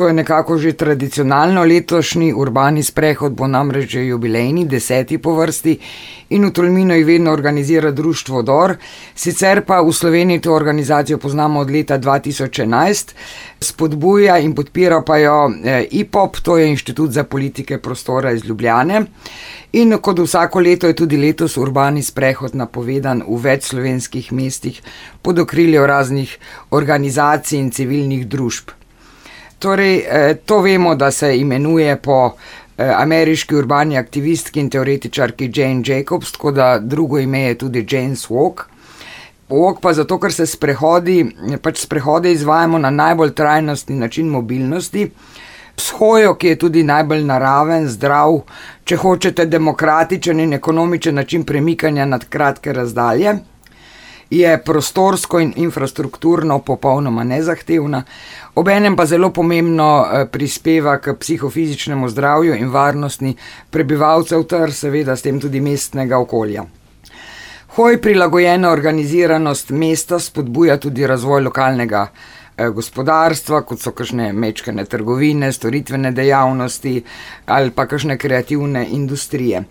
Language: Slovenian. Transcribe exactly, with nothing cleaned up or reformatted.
To je nekako že tradicionalno, letošnji urbani sprehod bo namreč že jubilejni, deseti po vrsti in v Tolminu jih vedno organizira društvo Dor, sicer pa v Sloveniji to organizacijo poznamo od leta dva tisoč enajst, spodbuja in podpira pa jo I P O P, to je Inštitut za politike prostora iz Ljubljane. In kot vsako leto je tudi letos urbani sprehod napovedan v več slovenskih mestih pod okriljem raznih organizacij in civilnih družb. Torej, to vemo, da se imenuje po ameriški urbani aktivistki in teoretičarki Jane Jacobs, tako da drugo ime je tudi Jane's Walk. Walk pa zato, ker se sprehodi, pač sprehode izvajamo na najbolj trajnostni način mobilnosti, s hojo, ki je tudi najbolj naraven, zdrav, če hočete demokratičen in ekonomičen način premikanja nad kratke razdalje, je prostorsko in infrastrukturno popolnoma nezahtevna, obenem pa zelo pomembno prispeva k psihofizičnemu zdravju in varnosti prebivalcev ter seveda s tem tudi mestnega okolja. Hoj prilagojena organiziranost mesta spodbuja tudi razvoj lokalnega gospodarstva, kot so kakšne mečkane trgovine, storitvene dejavnosti ali pa kakšne kreativne industrije.